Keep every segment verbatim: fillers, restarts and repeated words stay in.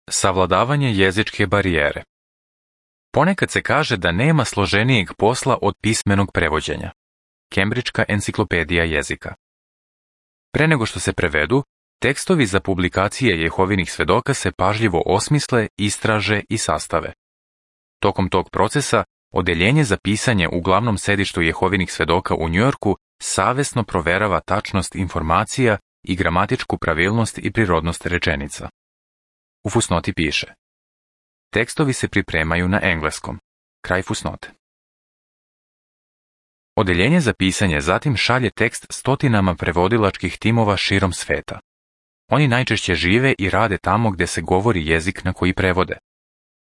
Savladavanje jezičke barijere. Ponekad se kaže da nema složenijeg posla od pismenog prevođenja. Kembridžka enciklopedija jezika. Pre nego što se prevedu, tekstovi za publikacije Jehovinih svedoka se pažljivo osmisle, istraže i sastave. Tokom tog procesa, odeljenje za pisanje u glavnom sedištu Jehovinih svedoka u Njujorku savesno proverava tačnost informacija i gramatičku pravilnost i prirodnost rečenica. U fusnoti piše: tekstovi se pripremaju na engleskom. Kraj fusnote. Odeljenje za pisanje zatim šalje tekst stotinama prevodilačkih timova širom sveta. Oni najčešće žive i rade tamo gde se govori jezik na koji prevode.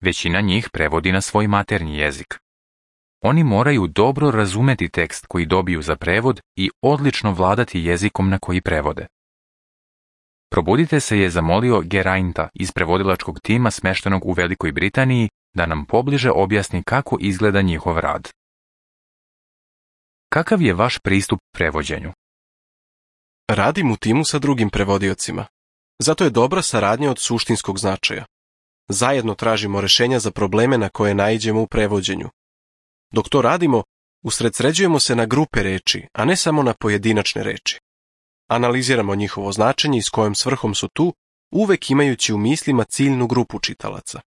Većina njih prevodi na svoj maternji jezik. Oni moraju dobro razumeti tekst koji dobiju za prevod i odlično vladati jezikom na koji prevode. Probudite se je zamolio Gerainta iz prevodilačkog tima smeštenog u Velikoj Britaniji da nam pobliže objasni kako izgleda njihov rad. Kakav je vaš pristup prevođenju? Radim u timu sa drugim prevodiocima. Zato je dobra saradnja od suštinskog značaja. Zajedno tražimo rešenja za probleme na koje naiđemo u prevođenju. Dok to radimo, usredsređujemo se na grupe reči, a ne samo na pojedinačne reči. Analiziramo njihovo značenje i s kojom svrhom su tu, uvek imajući u mislima ciljnu grupu čitalaca.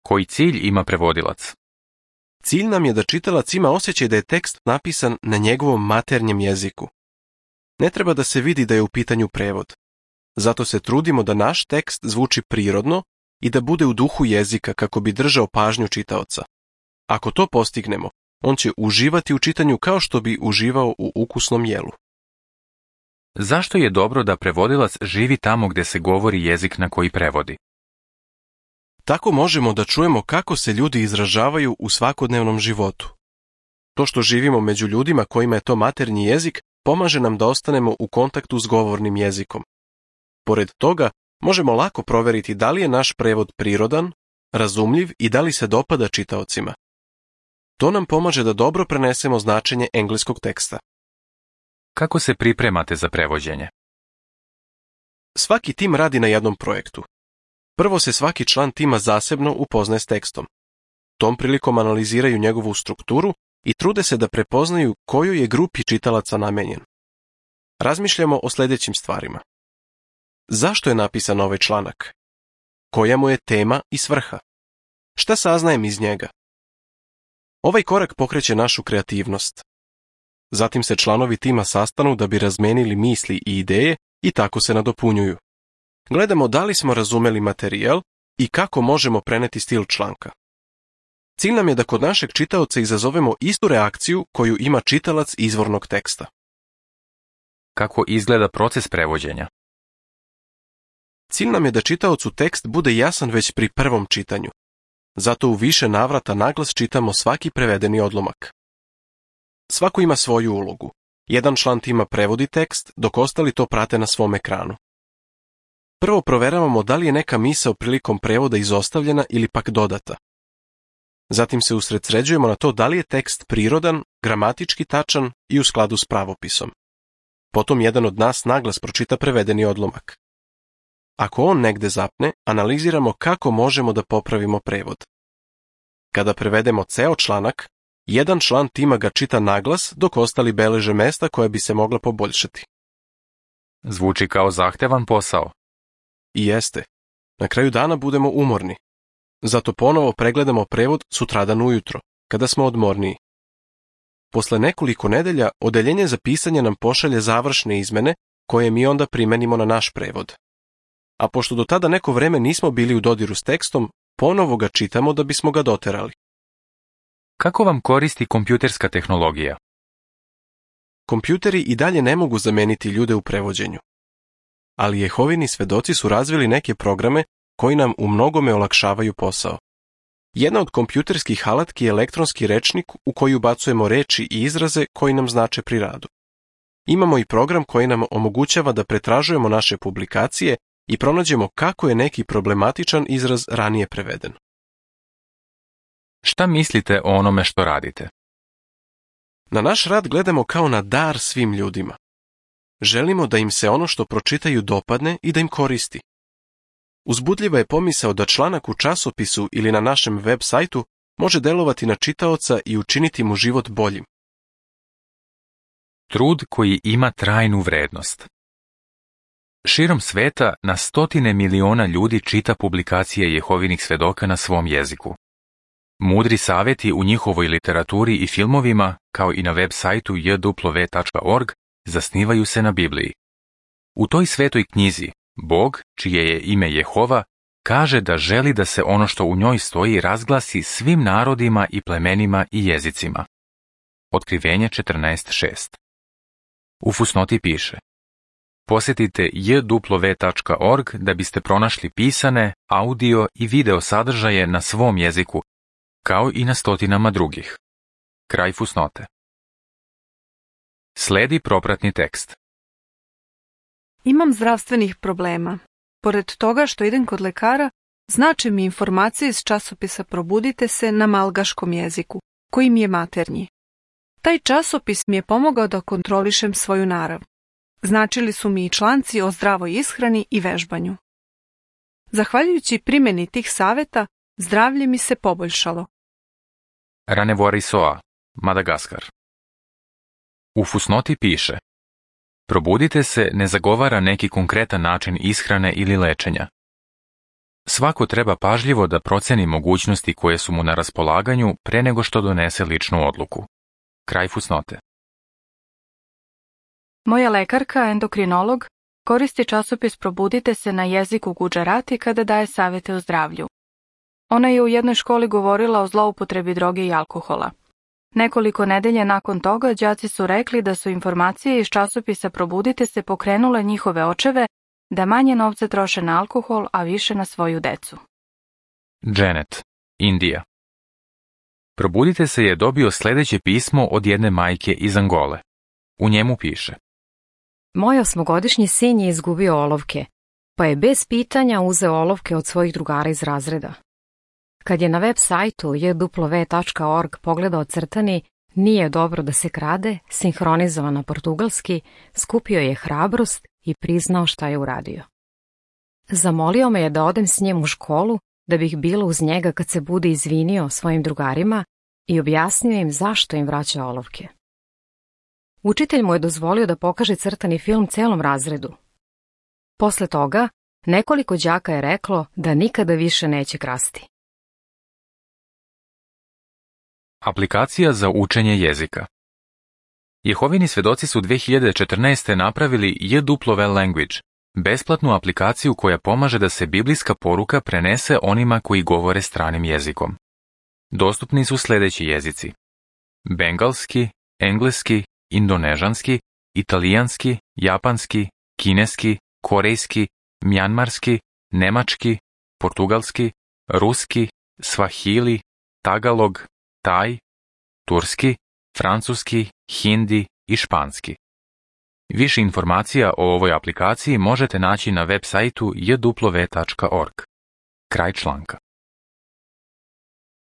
Koji cilj ima prevodilac? Cilj nam je da čitalac ima osjećaj da je tekst napisan na njegovom maternjem jeziku. Ne treba da se vidi da je u pitanju prevod. Zato se trudimo da naš tekst zvuči prirodno i da bude u duhu jezika kako bi držao pažnju čitaoca. Ako to postignemo, on će uživati u čitanju kao što bi uživao u ukusnom jelu. Zašto je dobro da prevodilac živi tamo gde se govori jezik na koji prevodi? Tako možemo da čujemo kako se ljudi izražavaju u svakodnevnom životu. To što živimo među ljudima kojima je to maternji jezik pomaže nam da ostanemo u kontaktu s govornim jezikom. Pored toga, možemo lako proveriti da li je naš prevod prirodan, razumljiv i da li se dopada čitaocima. To nam pomaže da dobro prenesemo značenje engleskog teksta. Kako se pripremate za prevođenje? Svaki tim radi na jednom projektu. Prvo se svaki član tima zasebno upoznaje s tekstom. Tom prilikom analiziraju njegovu strukturu i trude se da prepoznaju kojoj je grupi čitalaca namenjen. Razmišljamo o sljedećim stvarima. Zašto je napisan ovaj članak? Koja mu je tema i svrha? Šta saznajem iz njega? Ovaj korak pokreće našu kreativnost. Zatim se članovi tima sastanu da bi razmenili misli i ideje i tako se nadopunjuju. Gledamo da li smo razumeli materijal i kako možemo preneti stil članka. Cilj nam je da kod našeg čitaoca izazovemo istu reakciju koju ima čitalac izvornog teksta. Kako izgleda proces prevođenja? Cilj nam je da čitaocu tekst bude jasan već pri prvom čitanju. Zato u više navrata naglas čitamo svaki prevedeni odlomak. Svako ima svoju ulogu. Jedan član tima prevodi tekst, dok ostali to prate na svom ekranu. Prvo proveravamo da li je neka misao prilikom prevoda izostavljena ili pak dodata. Zatim se usredsređujemo na to da li je tekst prirodan, gramatički tačan i u skladu s pravopisom. Potom jedan od nas naglas pročita prevedeni odlomak. Ako on negde zapne, analiziramo kako možemo da popravimo prevod. Kada prevedemo ceo članak, jedan član tima ga čita naglas dok ostali beleže mesta koja bi se mogla poboljšati. Zvuči kao zahtevan posao. I jeste. Na kraju dana budemo umorni. Zato ponovo pregledamo prevod sutradan ujutro, kada smo odmorniji. Posle nekoliko nedelja, odeljenje za pisanje nam pošalje završne izmene koje mi onda primenimo na naš prevod. A pošto do tada neko vreme nismo bili u dodiru s tekstom, ponovo ga čitamo da bismo ga doterali. Kako vam koristi kompjuterska tehnologija? Kompjuteri i dalje ne mogu zameniti ljude u prevođenju. Ali Jehovini svedoci su razvili neke programe koji nam u mnogome olakšavaju posao. Jedna od kompjuterskih alatki je elektronski rečnik u koji ubacujemo reči i izraze koji nam znače pri radu. Imamo i program koji nam omogućava da pretražujemo naše publikacije i pronađemo kako je neki problematičan izraz ranije preveden. Šta mislite o onome što radite? Na naš rad gledamo kao na dar svim ljudima. Želimo da im se ono što pročitaju dopadne i da im koristi. Uzbudljiva je pomisao da članak u časopisu ili na našem web sajtu može delovati na čitaoca i učiniti mu život boljim. Trud koji ima trajnu vrednost. Širom sveta na stotine miliona ljudi čita publikacije Jehovinih svedoka na svom jeziku. Mudri savjeti u njihovoj literaturi i filmovima, kao i na web sajtu j w tačka org, zasnivaju se na Bibliji. U toj svetoj knjizi, Bog, čije je ime Jehova, kaže da želi da se ono što u njoj stoji razglasi svim narodima i plemenima i jezicima. Otkrivenje četrnaest šest. U fusnoti piše: posjetite j w tačka org da biste pronašli pisane, audio i video sadržaje na svom jeziku, kao i na stotinama drugih. Kraj fusnote. Sledi propratni tekst. Imam zdravstvenih problema. Pored toga što idem kod lekara, znače mi informacije iz časopisa Probudite se na malgaškom jeziku, koji mi je maternji. Taj časopis mi je pomogao da kontrolišem svoju narav. Značili su mi i članci o zdravoj ishrani i vežbanju. Zahvaljujući primjeni tih savjeta, zdravlje mi se poboljšalo. Ranevorisoa, Madagaskar. U fusnoti piše: Probudite se ne zagovara neki konkretan način ishrane ili lečenja. Svako treba pažljivo da proceni mogućnosti koje su mu na raspolaganju pre nego što donese ličnu odluku. Kraj fusnote. Moja lekarka, endokrinolog, koristi časopis Probudite se na jeziku Gudžarati kada daje savjete o zdravlju. Ona je u jednoj školi govorila o zloupotrebi droge i alkohola. Nekoliko nedelje nakon toga đaci su rekli da su informacije iz časopisa Probudite se pokrenule njihove očeve da manje novca troše na alkohol, a više na svoju decu. Janet, Indija. Probudite se je dobio sljedeće pismo od jedne majke iz Angole. U njemu piše: Moj osmogodišnji sin je izgubio olovke, pa je bez pitanja uzeo olovke od svojih drugara iz razreda. Kad je na web sajtu j w tačka org pogledao crtani "Nije dobro da se krade", sinhronizovan na portugalski, skupio je hrabrost i priznao šta je uradio. Zamolio me je da odem s njim u školu, da bih bila uz njega kad se bude izvinio svojim drugarima i objasnio im zašto im vraća olovke. Učitelj mu je dozvolio da pokaže crtani film celom razredu. Posle toga, nekoliko đaka je reklo da nikada više neće krasti. Aplikacija za učenje jezika. Jehovini svedoci su dve hiljade četrnaeste. napravili j w Language, besplatnu aplikaciju koja pomaže da se biblijska poruka prenese onima koji govore stranim jezikom. Dostupni su sljedeći jezici: bengalski, engleski, indonežanski, italijanski, japanski, kineski, korejski, mjanmarski, nemački, portugalski, ruski, svahili, tagalog, taj, turski, francuski, hindi i španski. Više informacija o ovoj aplikaciji možete naći na web sajtu j w tačka org. Kraj članka.